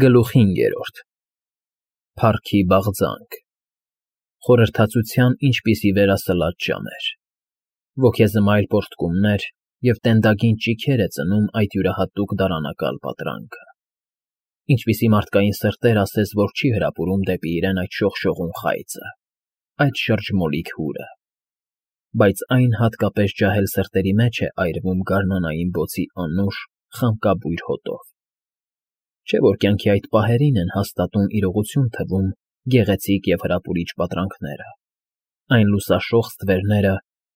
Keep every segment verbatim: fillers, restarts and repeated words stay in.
Գլուխ հինգերորդ Փառքի բաղձանք Խորհրդածության ինչպիսի վերասլած ժամեր, ոգեզմայլ պոռթկումներ և տենդագին ճիգեր է ծնում այդ յուրահատուկ դարանակալ պատրանքը, ինչպիսի մարդկային սրտեր ասես, որ չի հրապուրում դեպի իրեն այդ շողշողուն խայծը, այդ շրջմոլիկ հուրը, բայց այն հատկապես ջահել սրտերի մեջ է այրվում գարնանային բոցի անուշ, խամկաբույր հոտով, չէ՞ որ կյանքի այդ պահերին են հաստատուն իրողություն թվում գեղեցիկ և հրապուրիչ պատրանքները, այն լուսաշող ստվերները,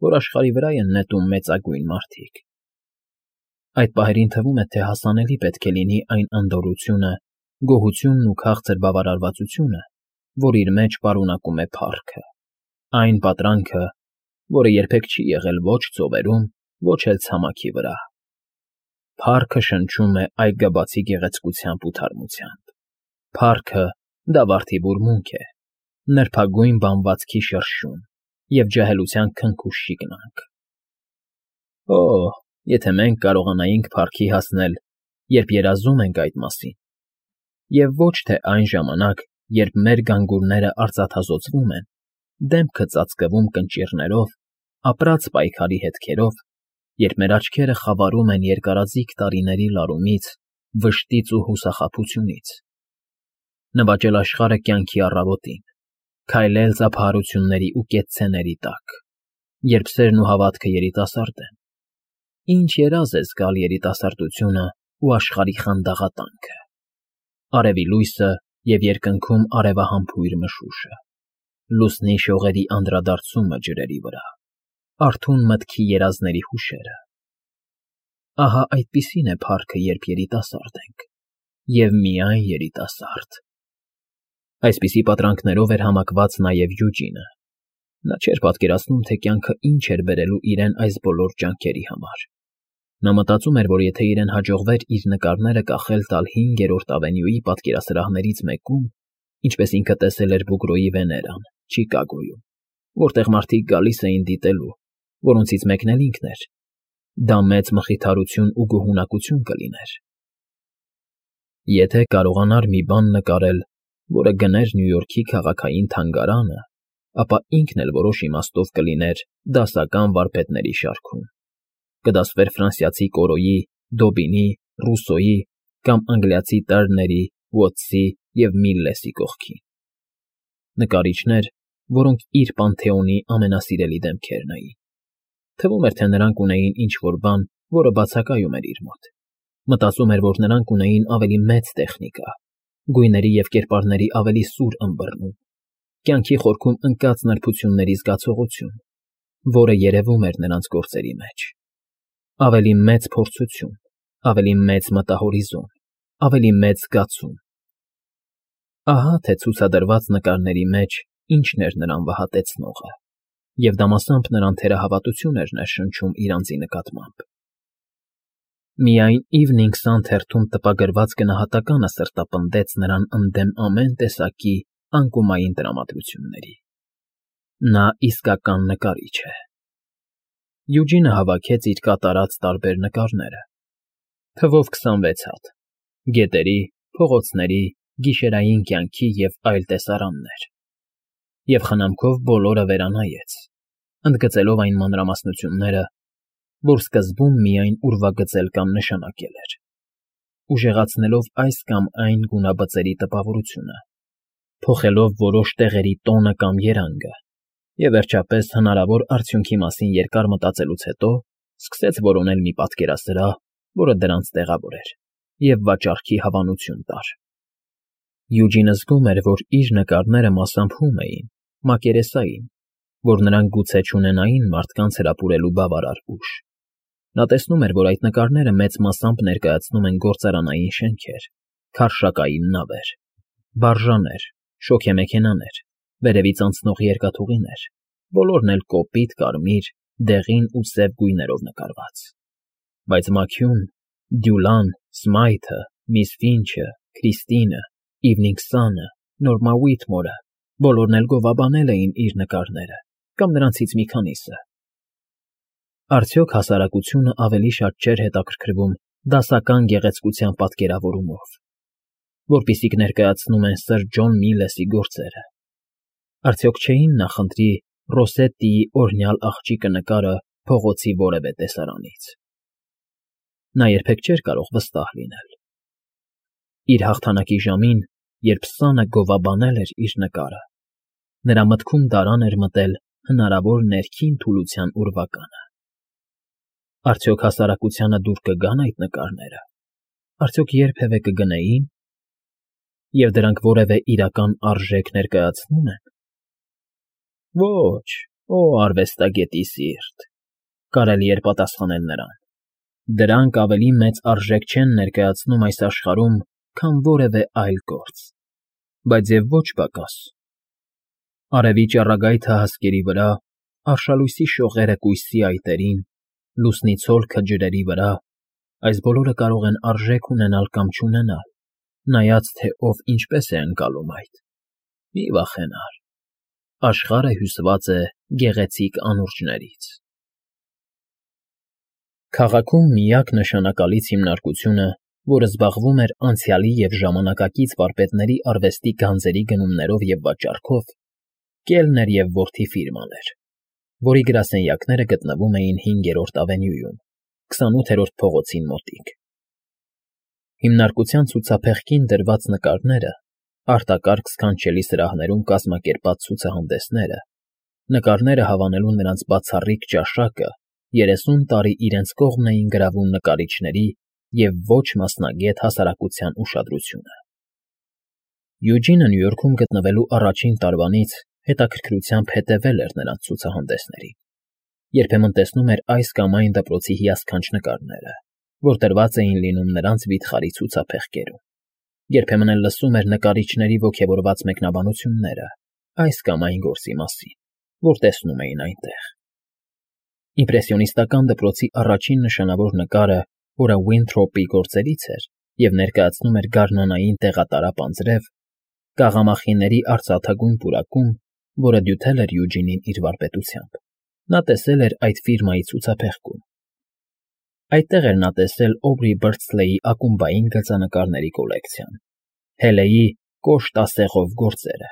որ աշխարհի վրա են նետում մեծագույն մարդիկ. այդ պահերին թվում է, թե հասանելի պետք է լինի այն անդորրությունը, գոհությունն ու քաղցր բավարարվածությունը, որ իր մեջ պարունակում է փառքը, այն պատրանքը, որը երբեք չի եղել ոչ ծովերում, ոչ էլ ցամաքի վրա. փառքը շնչում է այգաբացի գեղեցկությամբ ու թարմությամբ, փառքը դա վարդի բուրմունք է, նրբագույն բամբվածքի շրշյուն և ջահելության քնքուշ շիկնանք. Օ՜, եթե մենք կարողանայինք փառքի հասնել, երբ երազում ենք այդ մասին, և ոչ թե այն ժամանակ, երբ մեր գանգուրները արծաթազօծվում են, դեմքը ծածկվում կնճիռներով, ապրած պայքարի հետքերով, երբ մեր աչքերը խավարում են երկարաձիգ տարիների լարումից, վշտից ու հուսախաբությունից, նվաճել աշխարհը կյանքի առավոտին, քայլել ծափահարությունների ու կեցցեների տակ, երբ սերն ու հավատքը երիտասարդ են, ինչ երազ է զգալ երիտասարդությունը ու աշխարհի խանդաղատանքը, արևի լույսը և երկնքում արևահամբույր մշուշը, լուսնի շողերի անդրադարձումը ջրերի վրա, արթուն մտքի երազների հուշերը. ահա այդպիսին է փառքը, երբ երիտասարդ ենք, և միայն երիտասարդ. այսպիսի պատրանքներով էր համակված նաև Յուջինը. նա չէր պատկերացնում, թե կյանքը ինչ էր բերելու իրեն այս բոլոր ջանքերի համար. նա մտածում էր, որ եթե իրեն հաջողվեր իր նկարները կախել տալ հինգերորդ ավենյուի պատկերասրահներից մեկում, ինչպես ինքը տեսել էր Բուգրոյի Վեներան, Չիկագոյում, որտեղ մարդիկ գալիս էին դիտելու, որոնցից մեկն էլ ինքն էր, դա մեծ մխիթարություն ու գոհունակություն կլիներ. եթե կարողանար մի բան նկարել, որը գներ Նյու Յորքի քաղաքային թանգարանը, ապա ինքն էլ որոշ իմաստով կլիներ դասական վարպետների շարքում, կդասվեր ֆրանսիացի Կորոյի, Դոբինի, Ռուսոյի կամ անգլիացի Տերների, Ուոտսի և Միլլեսի կողքին. նկարիչներ, որոնք իր պանթեոնի ամենասիրելի դեմքերն էին. թվում էր, թե նրանք ունեին ինչ֊որ բան, որը բացակայում էր իր մոտ, մտածում էր, որ նրանք ունեին ավելի մեծ տեխնիկա, գույների և կերպարների ավելի սուր ըմբռնում, կյանքի խորքում ընկած նրբությունների զգացողություն, որը երևում էր նրանց գործերի մեջ, ավելի մեծ փորձություն, ավելի մեծ մտահորիզոն, ավելի մեծ զգացում. ահա թե ցուցադրված նկարների մեջ ինչն էր նրան վհատեցնողը, և դամասամբ նրան թերահավատություն էր ներշնչում իր անձի նկատմամբ. միայն Evening Sun թերթում տպագրված գնահատականը սրտապնդեց նրան ընդդեմ ամեն տեսակի անկումային տրամադրությունների. նա իսկական նկարիչ է. Յուջինը հավաքեց իր կատարած տարբեր նկարները, թվով քսանվեց հատ, գետերի, փողոցների, գիշերային կյանքի և այլ տեսարաններ, և խնամքով բոլորը վերանայեց, ընդգծելով այն մանրամասնությունները, որ սկզբում միայն ուրվագծել կամ նշանակել էր, ուժեղացնելով այս կամ այն գունաբծերի տպավորությունը, փոխելով որոշ տեղերի տոնը կամ երանգը, և վերջապես հնարավոր արդյունքի մասին երկար մտածելուց հետո սկսեց որոնել մի պատկերասրահ, որը դրանց տեղավոր էր, և վաճառքի հավանություն տար. Յուջինը զգում էր, որ իր նկարները մասամբ հում էին, մակերեսային, որ նրանք գուցե չունենային մարդկանց հրապուրելու բավարար ուժ. նա տեսնում էր, որ այդ նկարները մեծ մասամբ ներկայացնում են գործարանային շենքեր, քարշակային նավեր, բարժաներ, շոգեմեքենաներ, վերևից անցնող երկաթուղիներ, բոլորն էլ կոպիտ կարմիր, դեղին ու սև գույներով նկարված, բայց Մաքիուն, Դյուլան, Սմայթը, Միս Ֆինչը, Քրիստինը, Evening Sun-ը, Նորմա Ուիթմորը բոլորն էլ գովաբանել էին իր նկարները կամ նրանցից մի քանիսը. արդյոք հասարակությունը ավելի շատ չէր հետաքրքրվում դասական գեղեցկության պատկերավորումով, որպիսիք ներկայացնում են սըր Ջոն Միլեսի գործերը։ Արդյոք չէին նախընտրի Ռոսետտիի օրհնյալ աղջիկը նկարը փողոցի որևէ տեսարանից։ Նա երբեք չէր կարող վստահ լինել։ Իր հաղթանակի ժամին, երբ սանը գովաբանել էր իր նկարը, նրա մտքում դարան էր մտել հնարավոր ներքին թուլության ուրվականը։ Արդյոք հասարակությանը դուր կգան այդ նկարները, արդյոք երբևէ կգնեին, և դրանք որևէ իրական արժեք ներկայացնում են։ Ոչ, օ արվեստագետի սիրտ, կարելի էր պատասխանել նրան, դրանք ավելի մեծ արժեք չեն ներկայացնում այս աշխարհում, քան որևէ այլ գործ, բայց և ոչ պակաս։ Արևի ճառագայթը հասկերի վրա, արշալույսի շողերը կույսի այտերին, լուսնի ցոլքը ջրերի վրա, այս բոլորը կարող են արժեք ունենալ կամ չունենալ, նայած թե ով ինչպես է ընկալում այդ։ Մի վախենար, աշխարհը հյուսված է գեղեցիկ անուրջներից։ Քաղաքում միակ նշանակալից հիմնարկությունը, որը զբաղվում էր անցյալի և ժամանակակից վարպետների արվեստի գանձերի գնումներով և վաճառքով, Կելներ և որդի ֆիրման էր, որի գրասենյակները գտնվում էին հինգերորդ ավենյուում, քսանութերորդ փողոցին մոտիկ։ Հիմնարկության ցուցափեղկին դրված նկարները, արտակարգ սքանչելի սրահներում կազմակերպած ցուցահանդեսները, նկարները հավանելու նրանց բացառիկ ճաշակը երեսուն տարի իրենց կողմն էին գրավում նկարիչների և ոչ մասնագետ հասարակության ուշադրությունը։ Յուջինը Նյու Յորքում գտնվելու առաջին տարվանից հետաքրքրությամբ հետևել էր նրանց ցուցահանդեսներին, երբեմն տեսնում էր այս կամ այն դպրոցի հիասքանչ նկարները, որ դրված էին լինում նրանց վիթխարի ցուցափեղկերում, երբեմն էլ լսում էր նկարիչների ոգևորված մեկնաբանությունները այս կամ այն գործի մասին, որ տեսնում էին այնտեղ։ Իմպրեսիոնիստական դպրոցի առաջին նշանավոր նկարը, որը Ուինթրոպի գործերից էր և ներկայացնում էր գարնանային տեղատարապ անձրև, կաղամախիների արծաթագույն պուրակում, որը դյութել էր Յուջինին իր վարպետությամբ, նա տեսել էր այդ ֆիրմայի ցուցափեղկում։ Այդտեղ էր նա տեսել Օբրի Բըրդսլեյի ակումբային գծանկարների կոլեկցիան, Հելեի կոշտ ասեղով գործերը,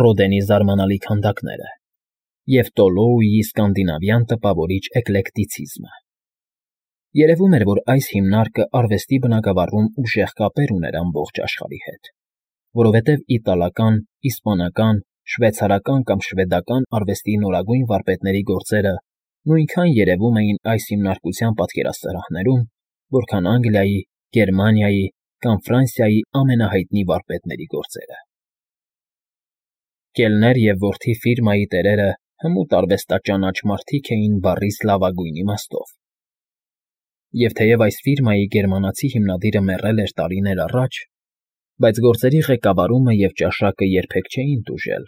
Ռոդենի զարմանալի քանդակները և Տոլոուի սկանդինավյան տպավորիչ էկլեկտիցիզմը։ Երևում էր, որ այս հիմնարկը արվեստի բնագավառում ուժեղ կապեր ուներ ամբողջ աշխարհի հետ, որովհետև իտալական, իսպանական, շվեյցարական կամ շվեդական արվեստի նորագույն վարպետների գործերը նույնքան երևում էին այս հիմնարկության պատկերասրահներում, որքան Անգլիայի, Գերմանիայի կամ Ֆրանսիայի ամենահայտնի վարպետների գործերը։ Կելներ և որդի ֆիրմայի տերերը հմուտ արվեստաճանաչ մարդիկ էին բառիս լավագույն իմաստով։ Եվ թեև այս ֆիրմայի գերմանացի հիմնադիրը մեռել էր տարիներ առաջ, բայց գործերի ղեկավարումը և ճաշակը երբեք չէին տուժել։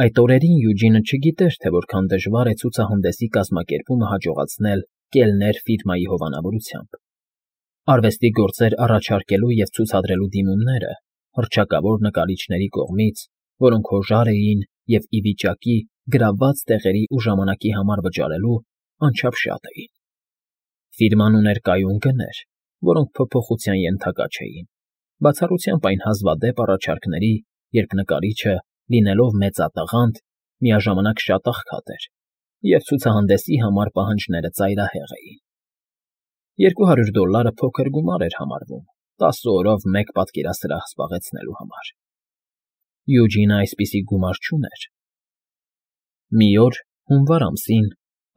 Այդ օրերին Յուջինը չգիտեր, թե որքան դժվար է ցուցահանդեսի կազմակերպումը հաջողացնել Կելներ ֆիրմայի հովանավորությամբ։ Արվեստի գործեր առաջարկելու և ցուցադրելու դիմումները հռչակավոր նկարիչների կողմից, որոնք հոժար էին և ի վիճակի գրաված տեղերի ու ժամանակի համար վճարելու, անչափ շատ էին։ Ֆիրման ուներ կայուն գներ, որոնք փոփոխության ենթակա չէին, բացառությամբ այն հազվադեպ առաջարկների, երբ նկարիչը, լինելով մեծատաղանդ, միաժամանակ շատ աղքատ էր, և ցուցահանդեսի համար պահանջները ծայրահեղ էին։ Երկու հարյուր դոլլարը փոքր գումար էր համարվում տասը օրով մեկ պատկերասրահ զբաղեցնելու համար։ Յուջինը այսպիսի գումար չուներ։ Մի օր, հունվար ամսին,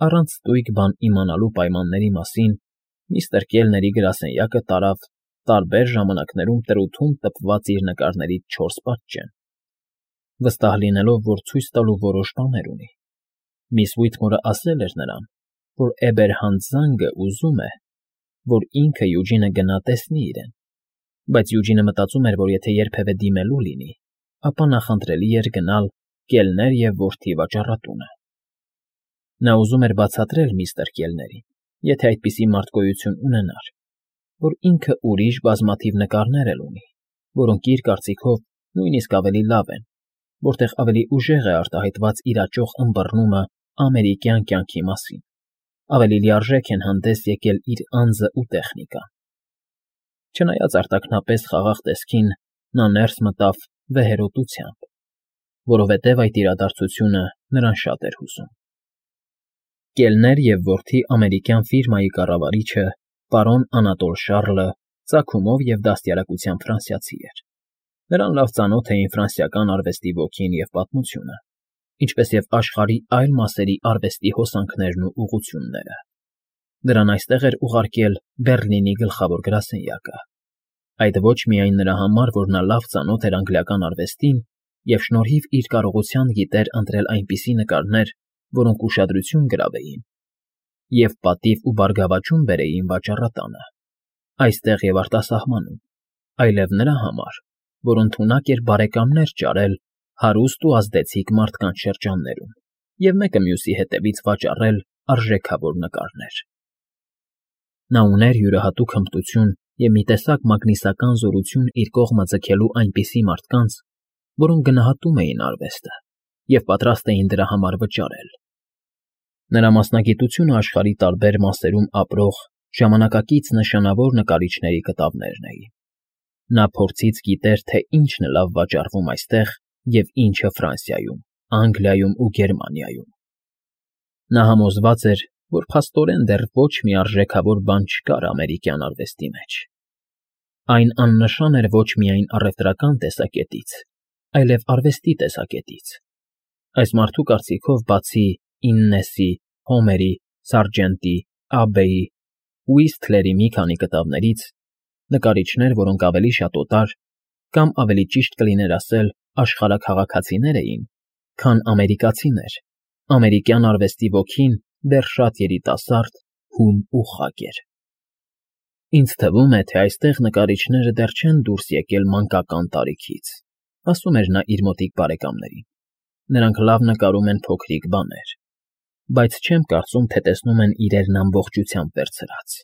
առանց ստույգ բան իմանալու պայմանների մասին, միստր Կելների գրասենյակը տարավ տարբեր ժամանակներում տրութում տպված իր նկարներից չորս պատճեն, վստահ լինելով, որ ցույց տալու որոշ բաներ ունի։ Միս Ուիթմորը ասել էր նրան, որ Էբերհանտ֊Զանգը ուզում է, որ ինքը Յուջինը գնա տեսնի իրեն, բայց Յուջինը մտածում էր, որ եթե երբևէ դիմելու լինի, ապա նախընտրելի էր գնալ Կելներ և որդի վաճառատունը։ Նա ուզում էր բացատրել միստր Կելներին, եթե այդպիսի մարդ գոյություն ունենար, որ ինքը ուրիշ բազմաթիվ նկարներ էլ ունի, որոնք իր կարծիքով նույնիսկ ավելի լավ են, որտեղ ավելի ուժեղ է արտահայտված իր աճող ըմբռնումը ամերիկյան կյանքի մասին, ավելի լիարժեք են հանդես եկել իր անձն ու տեխնիկան։ Չնայած արտաքնապես խաղաղ տեսքին, նա ներս մտավ վեհերոտությամբ, որովհետև այդ իրադարձությունը նրան շատ էր հուզում։ Կելներ և որդի ամերիկյան ֆիրմայի կառավարիչը, պարոն Անատոլ Շառլը, ծագումով և դաստիարակությամբ ֆրանսիացի էր։ Նրան լավ ծանոթ էին ֆրանսիական արվեստի ոգին և պատմությունը, ինչպես և աշխարհի այլ մասերի արվեստի հոսանքներն ու ուղղությունները։ Նրան այստեղ էր ուղարկել Բեռլինի գլխավոր գրասենյակը, այդ ոչ միայն նրա համար, որ նա լավ ծանոթ էր անգլիական արվեստին և շնորհիվ իր կարողության գիտեր ընտրել այնպիսի նկարներ, որոնք ուշադրություն գրավեին և պատիվ ու բարգավաճում բերեին վաճառատանը, այստեղ և արտասահմանում, այլև նրա համար, որ ընդունակ էր բարեկամներ ճարել հարուստ ու ազդեցիկ մարդկանց շրջաններում և մեկը մյուսի հետևից վաճառել արժեքավոր նկարներ։ Նա ուներ յուրահատուկ հմտություն և մի տեսակ մագնիսական զորություն իր կողմը ձգելու այնպիսի մարդկանց, որոնք գնահատում էին արվեստը և պատրաստ էին դրա համար վճարել։ Նրա մասնագիտությունը աշխարհի տարբեր մասերում ապրող ժամանակակից նշանավոր նկարիչների կտավներն էին։ Նա փորձից գիտեր, թե ինչն է լավ վաճառվում այստեղ և ինչը Ֆրանսիայում, Անգլիայում ու Գերմանիայում։ Նա համոզված էր, որ փաստորեն դեռ ոչ մի արժեքավոր բան չկար ամերիկյան արվեստի մեջ։ Այն աննշան էր ոչ միայն առևտրական տեսակետից, այլև արվեստի տեսակետից։ Այս մարդու կարծիքով, բացի Իննեսի, Հոմերի, Սարջենտի, Աբբեի, Ուիսթլերի մի քանի կտավներից, նկարիչներ, որոնք ավելի շատ օտար, կամ ավելի ճիշտ կլիներ ասել աշխարհաքաղաքացիներ էին, քան ամերիկացիներ, ամերիկյան արվեստի ոգին դեռ շատ երիտասարդ, հում ու խակ էր։ Ինձ թվում է, թե այստեղ նկարիչները դեռ չեն դուրս եկել մանկական տարիքից, ասում էր նա իր մոտիկ բարեկամներին։ Նրանք լավ նկարում են փոքրիկ բաներ, բայց չեմ կարծում, թե տեսնում են իրերն ամբողջությամբ վերցրած։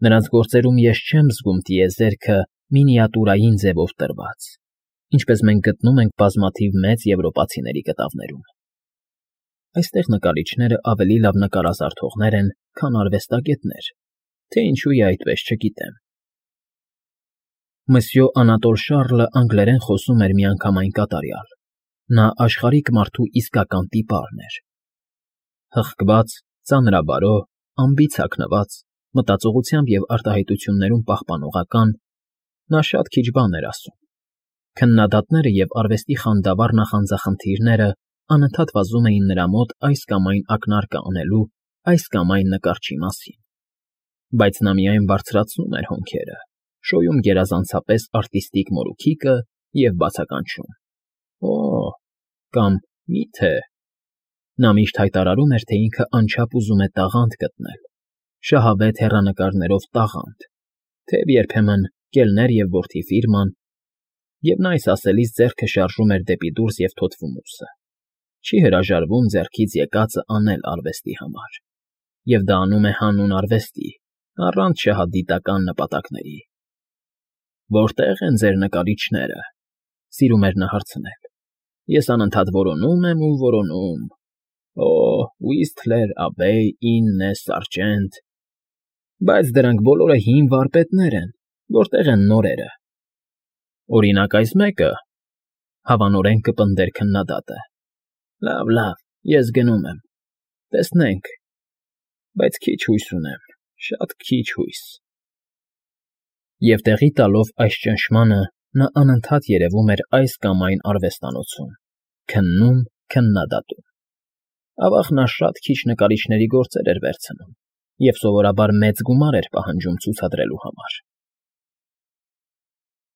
Նրանց գործերում ես չեմ զգում տիեզերքը մինիատյուրային ձևով տրված, ինչպես մենք գտնում ենք բազմաթիվ մեծ եվրոպացիների կտավներում։ Այստեղ նկարիչները ավելի լավ նկարազարդողներ են, քան արվեստագետներ, թե ինչու է այդպես չգիտեմ։ Մսյո Անատոլ Շառլը անգլերեն խոսում էր միանգամայն կատարյալ։ Նա աշխարհիկ մարդու իսկական տիպարն էր։ Հղկված, ծանրաբարո, անբիծ հագնված, մտածողությամբ և արտահայտություններում պահպանողական, նա շատ քիչ բան էր ասում։ Քննադատները և արվեստի խանդավառ նախանձախնդիրները անընդհատ վազում էին նրա մոտ այս կամ այն ակնարկը անելու, այս կամ այն նկարչի մասին։ Բայց նա միայն բարձրացնում էր հոնքերը, շոյում գերազանցապես արտիստիկ մորուքիկը և բացականչում. «Օ՜» կամ «Մի՞թե»։ Նա միշտ հայտարարում էր, թե ինքը անչափ ուզում է տաղանդ գտնել, շահավետ հեռանկարներով տաղանդ, թեև երբեմն Կելներ և որդի ֆիրման, և նա այս ասելիս ձեռքը շարժում էր դեպի դուրս և թոթվում ուսը, չի հրաժարվում ձեռքից եկածը անել արվեստի համար, և դա անում է հանուն արվեստի, առանց շահադիտական նպատակների։ «Որտե՞ղ են ձեր նկարիչները», սիրում էր նա հարցնել։ Ես անընդհատ որոնում եմ ու որոնում. «Օ, Ուիսթլեր, Աբբեյ, Իննես, Սարժենտ», բայց դրանք բոլորը հին վարպետներ են, որտե՞ղ են նորերը։ «Օրինակ, այս մեկը», հավանորեն կպնդեր քննադատը։ «Լավ, լավ, ես գնում եմ, տեսնենք, բայց քիչ հույս ունեմ, շատ քիչ հույս»։ Եվ տեղի տալով այս ճնշմանը, նա անընդհատ երևում էր այս կամ այն արվեստանոցում, քննում, քննադատում։ Ավաղ նա շատ քիչ նկարիչների գործեր էր վերցնում և սովորաբար մեծ գումար էր պահանջում ցուցադրելու համար։